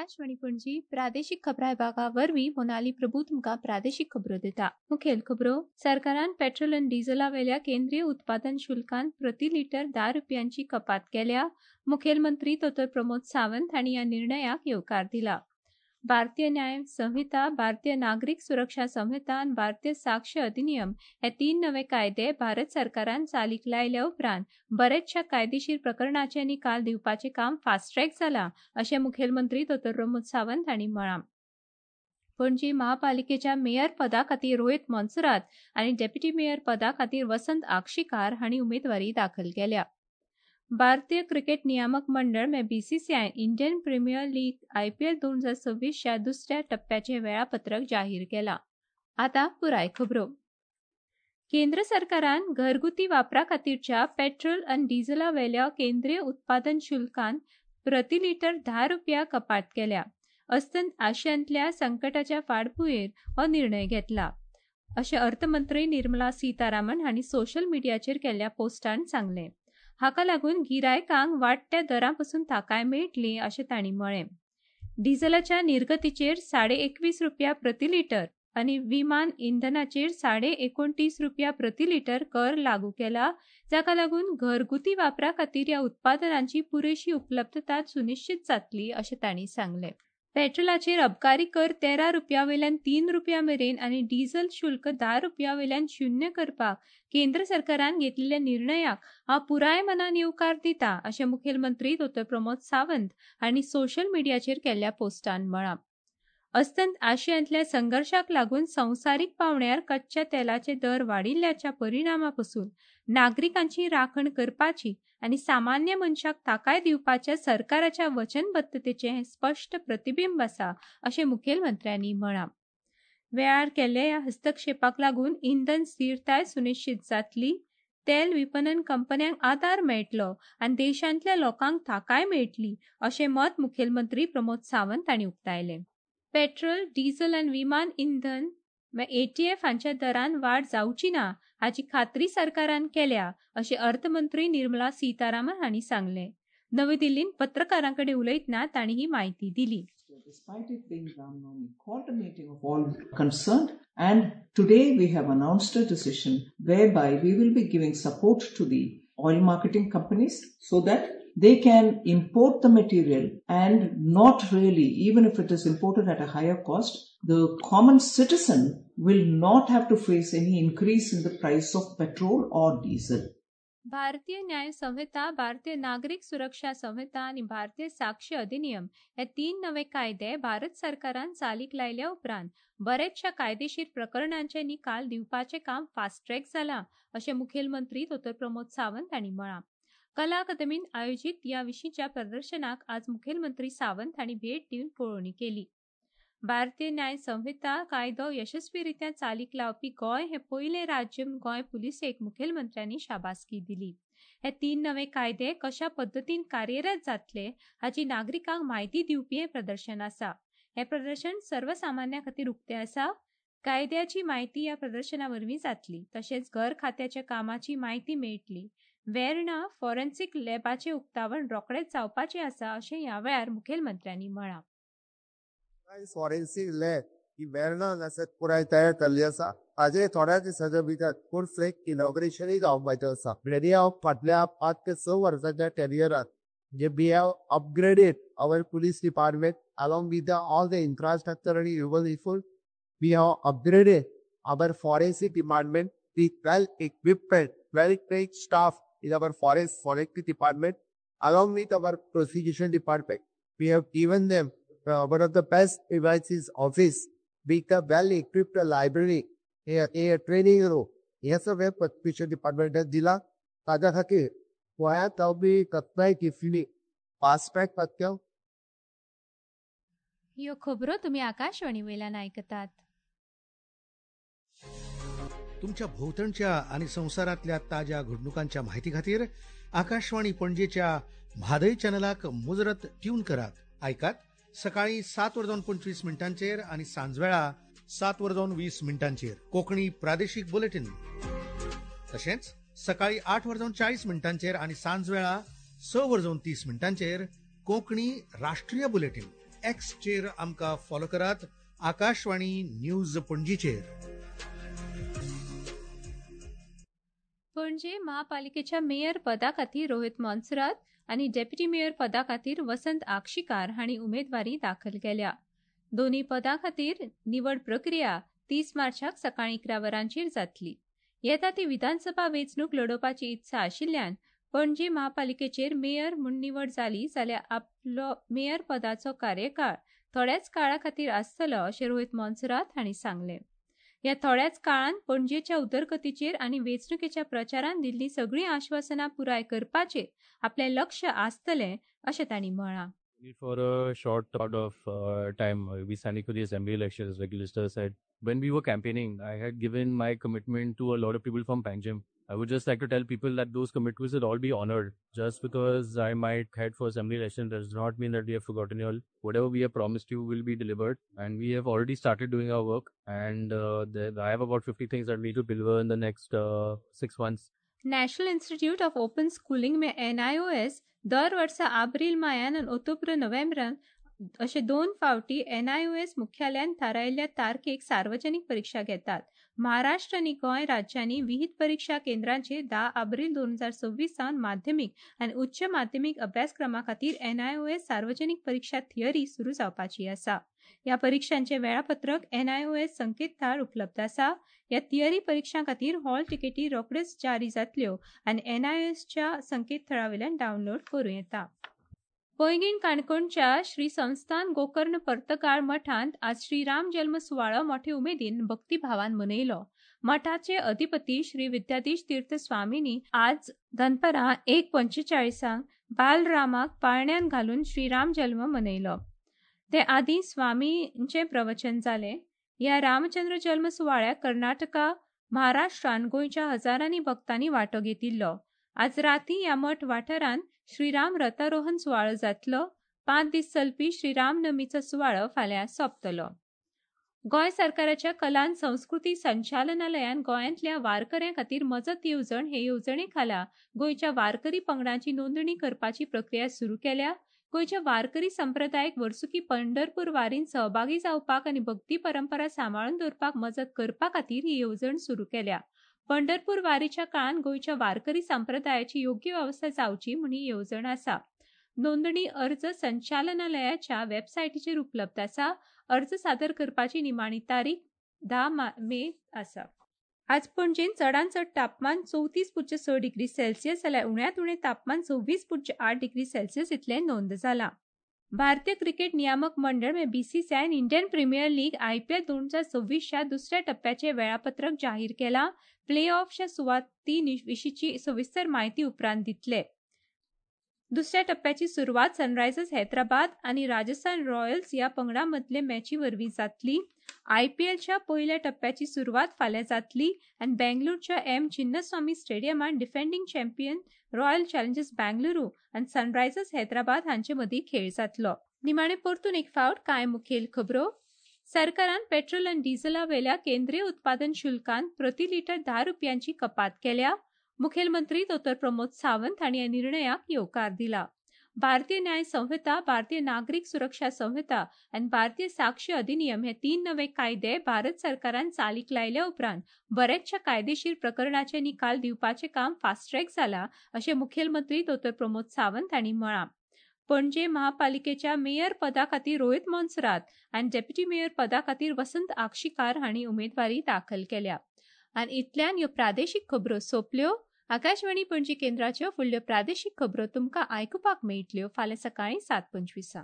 आकाशवाणी पणजी प्रादेशीक खबरां विभागा वरवीं मोनाली प्रभू तुमकां प्रादेशीक खबरो दिता. मुखेल खबरो. सरकारान पेट्रोल आनी डिझला वेल्या केंद्रीय उत्पादन शुल्कान प्रति लिटर 10 रुपयांची कपात केल्या. मुखेलमंत्री दोतोर प्रमोद सावंत हांणी ह्या निर्णयाक येवकार दिला. भारतीय न्याय संहिता, भारतीय नागरीक सुरक्षा संहिता आनी भारतीय साक्ष अधिनियम हे 3 नवे कायदे भारत सरकारान चालीक लायल्या उपरांत बरेचशा कायदेशीर प्रकरणाचे निकाल दिवपाचें काम फास्ट ट्रॅक जालां अशें मुखेलमंत्री दोतोर प्रमोद सावंत हांणी म्हळां. पणजी महापालिकेच्या मेयर पदा खातीर रोहित मोन्सेरात आनी डेप्युटी मेयर पदा खातीर वसंत आक्षीकार हांणी उमेदवारी दाखल केल्या. भारतीय क्रिकेट नियामक मंडळ मे BCCI Indian Premier League IPL 2026च्या दुसऱ्या टप्प्याचे वेळापत्रक जाहीर केला. आता पुराय खबरो. केंद्र सरकारान घरगुती वापरा खातीरच्या पेट्रोल आनी डिझला वेल्या केंद्रीय उत्पादन शुल्कान प्रति लिटर 10 रुपया कपात केल्या. अस्तंत आशियांतल्या संकटाच्या फाटभुंयेर हो निर्णय घेतला अशें अर्थमंत्री निर्मला सीतारामन हांणी सोशल मिडियाचेर केल्ल्या पोस्टान सांगलें. हाका लागून गिरायकांक वाडट्या दरां पसून थाकाय मेळटली अशें तांणी म्हळें. डिझलाच्या निर्गतीचेर 21.5 रुपया प्रति लिटर आनी विमान इंधनाचेर 29.5 रुपया प्रति लिटर कर लागू केला, जाका लागून घरगुती वापरा खातीर ह्या उत्पादनांची पुरेशी उपलब्धता सुनिश्चित जातली अशें तांणी सांगलें. पेट्रोलाचेर अबकारी कर 13 रुपया वयल्यान 3 रुपया मेरेन आनी डिझल शुल्क 10 रुपया वयल्यान 0 करपाक केंद्र सरकारान घेतलेल्या निर्णयाक हांव पुराय मनान येवकार दिता अशें मुखेलमंत्री दोतोर प्रमोद सावंत हांणी सोशल मिडियाचेर केल्ल्या पोस्टान म्हळां. अस्तंत आशियांतल्या संघर्शाक लागून संवसारीक पावंड्यार कच्च्या तेलाचे दर वाडिल्ल्याच्या परिणामा पसून नागरिकांची राखण करपाची आनी सामान्य मनशाक थाकाय दिवपाच्या सरकाराच्या वचनबद्धतेचें हें स्पश्ट प्रतिबिंब आसा अशें मुखेलमंत्र्यांनी म्हळां. वेळार केल्ल्या ह्या हस्तक्षेपाक लागून इंधन स्थिरताय सुनिश्चित जातली, तेल विपणन कंपन्यांक आदार मेळटलो आनी देशांतल्या लोकांक थाकाय मेळटली अशें मत मुखेलमंत्री प्रमोद सावंत हांणी उक्तायलें. पेट्रोल, डिझल आनी विमान इंधन ATF हांच्या दरान वाड जावची ना हाची खात्री सरकारान केल्या अशें अर्थमंत्री निर्मला सीतारामन हांणी सांगलें. नवी दिल्लींत पत्रकारां कडेन उलयतना तांणी ही म्हायती दिली. Despite it being Ram Navami, called a meeting of all concerned, and today we have announced a decision whereby we will be giving support to the oil marketing companies so that they can import the material and not really, even if it is imported at a higher cost, the common citizen will not have to face any increase in the price of petrol or diesel. भारतीय न्याय संहिता, भारतीय नागरीक सुरक्षा संहिता आनी भारतीय साक्ष अधिनियम हे 3 नवे कायदे भारत सरकारान चालीक लायल्या उपरांत बरेचशा कायदेशीर प्रकरणांचे निकाल दिवपाचें काम फास्ट ट्रॅक जालां अशें मुखेलमंत्री दोतोर प्रमोद सावंत हांणी म्हळां. कला अकादमीन आयोजीत ह्या विशींच्या प्रदर्शनाक आज मुखेलमंत्री सावंत हांणी भेट दिवन पळोवणी केली. भारतीय न्याय संहिता कायदो यशस्वीरित्या चालीक लावपी गोंय हे पयलें राज्य म्हूण गोंय पुलिसेक मुखेलमंत्र्यांनी शाबासकी दिली. हे 3 नवे कायदे कशा पद्दतीन कार्यरत जातले हाची नागरिकांक म्हायती दिवपी हें प्रदर्शन आसा. हें प्रदर्शन सर्वसामान्या खातीर उक्तें आसा. कायद्याची म्हायती ह्या प्रदर्शना वरवीं जातली, तशेंच घर खात्याच्या कामाची म्हायती मेळटली. वेर्णा फॉरेन्सिक लॅबाचें उक्तावण रोखडेंच जावपाचें आसा अशें ह्या वेळार मुखेलमंत्र्यांनी म्हळां. फॉरेन्सिक लॅब ही वेर्णा हांगासर पुराय तयार केल्ली आसा. हाजे थोड्या दिसाच्या भितर फूल फ्लेज इनॉग्रेशनूय जावपाचें आसा. रेडी हांव फाटल्या 5 ते 6 वर्सांच्या कॅरियरात जे we have upgraded our police department along with the all the infrastructure आनी human resource. We have upgraded our forensic department with well equipment, well trained staff in our forensic department along with our prosecution department. We have given them one of the best devices office with a well equipped library, a training room. हे सगळें prosecution डिपार्टमेंटान दिलां. ताज्या खातीर गोंयांत जावपी कसल्याय केसींनी fast track जातलो. ह्यो खबरो तुमी आकाशवाणी वयल्यान आयकतात. तुमच्या भोवतणच्या आणि संवसारांतल्या ताज्या घडणुकांच्या माहिती खातीर आकाशवाणी पणजेच्या म्हादय चॅनलाक मुजरत ट्यून करात. आयकात सकाळी 7:25 आणि सांजवेळा 7:20 कोकणी प्रादेशिक बुलेटिन. तशेंच सकाळी 8:40 आणि सांजवेळा 6:30 कोकणी राष्ट्रीय बुलेटिन. एक्सचेर आमकां फॉलो करात, आकाशवाणी न्यूज पणजीचेर. पणजे महापालिकेच्या मेयर पदा खातीर रोहित मोन्सेरात आनी डेप्युटी मेयर पदा खातीर वसंत आक्षीकार हांणी उमेदवारी दाखल केल्या. दोनूय पदां खातीर निवड प्रक्रिया 30 मार्चाक सकाळीं 11 वरांचेर जातली. येता ती विधानसभा वेंचणूक लडोवपाची इत्सा आशिल्ल्यान पणजे महापालिकेचेर मेयर म्हूण निवड जाली जाल्यार आपलो मेयर पदाचो कार्यकाळ थोड्याच काळा खातीर आसतलो अशें रोहित मोन्सेरात हांणी सांगलें. ह्या थोड्याच काळांत पणजेच्या उदरगतीचेर आनी वेंचणुकेच्या प्रचारान दिल्लीं सगळीं आश्वासनां पुराय करपाचेर आपलें लक्ष आसतलें अशें तांणी म्हळां. For a short amount of time, we standing for the assembly elections, like Lister said. When we were campaigning, I had given my commitment to a lot of people from Panjim. I would just like to tell people that those commitments will all be honored. Just because I might head for assembly election does not mean that we have forgotten you all. Whatever we have promised you will be delivered, and we have already started doing our work. And I have about 50 things that we need to deliver in the next 6 months. National Institute of Open Schooling में NIOS दर वर्सा आब्रील मायान आनी ओक्टोबर नोव्हेंबरान अशे 2 फावटी NIOS मुख्यालयान थारायिल्ल्या तारखेक सार्वजनिक परीक्षा घेतात. महाराष्ट्र आनी गोंय राज्यांनी विहीत परीक्षा केंद्रांचेर 10 आब्रील 2026 सावन माध्यमीक आनी उच्च माध्यमीक अभ्यासक्रमा खातीर NIOS सार्वजनिक परीक्षा थियरी सुरू जावपाची आसा. ह्या परीक्षांचे वेळापत्रक NIOS संकेतथळार उपलब्ध आसा. ह्या थियरी परीक्षां खातीर हॉल तिकेटी रोखड्योच जारी जातल्यो आनी NIOSच्या संकेतथळा वयल्यान डावनलोड करूं येता. पैंगीण काणकोणच्या श्री संस्थान गोकर्ण पर्तगाळ मठांत आज श्रीराम जल्म सुवाळो मोठे उमेदीन भक्तिभावान मनयलो. मठाचे अधिपती श्री विद्याधीश तीर्थ स्वामींनी आज दनपरां 1:45 बालरामाक पाळण्यान घालून श्रीराम जल्म मनयलो. ते आदीं स्वामींचें प्रवचन जालें. ह्या रामचंद्र जल्म सुवाळ्याक कर्नाटका, महाराष्ट्रान गोंयच्या हजारांनी भक्तांनी वांटो घेतिल्लो. आज राती ह्या मठ वाठारांत श्रीराम रथारोहण सुवाळो जातलो. 5 दीस चलपी श्रीरामनवमीचो सुवाळो फाल्यां सोंपतलो. गोंय सरकाराच्या कला आनी संस्कृती संचालनालयान गोंयांतल्या वारकऱ्यां खातीर मजत येवजण हे येवजणे खाला गोंयच्या वारकरी पंगडांची नोंदणी करपाची प्रक्रिया सुरू केल्या. गोंयच्या वारकरी संप्रदायक वर्सुकी पंढरपूर वारीन सहभागी जावपाक आनी भक्ती परंपरा सांबाळून दवरपाक मजत करपा खातीर ही येवजण सुरू केल्या. पंढरपूर वारीच्या काळान गोंयच्या वारकरी संप्रदायाची योग्य वेवस्था जावची म्हूण ही येवजण आसा. नोंदणी अर्ज संचालनालयाच्या वेबसायटीचेर उपलब्ध आसा. अर्ज सादर करपाची निमाणी तारीख 10 मे आसा. आज पणजेन चडांत चड तापमान 34.6 डिग्री सेल्सियस जाल्यार उण्यांत उणें तापमान 26.8 डिग्री सेल्सियस इतलें नोंद जालां. भारतीय क्रिकेट नियामक मंडळ म्हळ्यार BCCI Indian premier league IPL 2026च्या दुसऱ्या टप्प्याचें वेळापत्रक जाहीर केलां. प्ले ऑफच्या सुवाती विशींची सविस्तर म्हायती उपरांत दितले. दुसऱ्या टप्प्याची सुरवात सनरायझर्स हैदराबाद आनी राजस्थान रॉयल्स ह्या पंगडां मदले मॅची वरवीं जातली. IPLच्या पयल्या टप्प्याची सुरवात फाल्यां जातली आनी बेंगळुरूच्या M Chinnaswamy स्टेडियमांत defending champion Royal Challengers Bengaluru आनी सनरायझर्स हैदराबाद हांचे मदीं खेळ जातलो. निमाणे परतून एक फावट कांय मुखेल खबरो. सरकारान पेट्रोल आनी डिझला वयल्या केंद्रीय उत्पादन शुल्कांत प्रति लिटर 10 रुपयांची कपात केल्या. मुखेलमंत्री डॉ प्रमोद सावंत हांणी ह्या निर्णयाक येवकार दिला. भारतीय न्याय संहिता, भारतीय नागरीक सुरक्षा संहिता आनी भारतीय साक्ष अधिनियम हे 3 नवे कायदे भारत सरकारान चालीक लायल्या उपरांत बऱ्याचशा कायदेशीर प्रकरणाचे निकाल दिवपाचें काम फास्ट ट्रॅक जाला अशें मुखेलमंत्री डॉ प्रमोद सावंत हांणी म्हळां. पणजे महापालिकेच्या मेयर पदा खातीर रोहित मोन्सेरात आनी डेप्युटी मेयर पदा खातीर वसंत आक्षीकार हांणी उमेदवारी दाखल केल्या. आनी इतल्यान ह्यो प्रादेशीक खबरो सोंपल्यो. आकाशवाणी पणजी केंद्राच्यो फुडल्यो प्रादेशीक खबरो तुमकां आयकुपाक मेळटल्यो फाल्यां सकाळीं 7:25.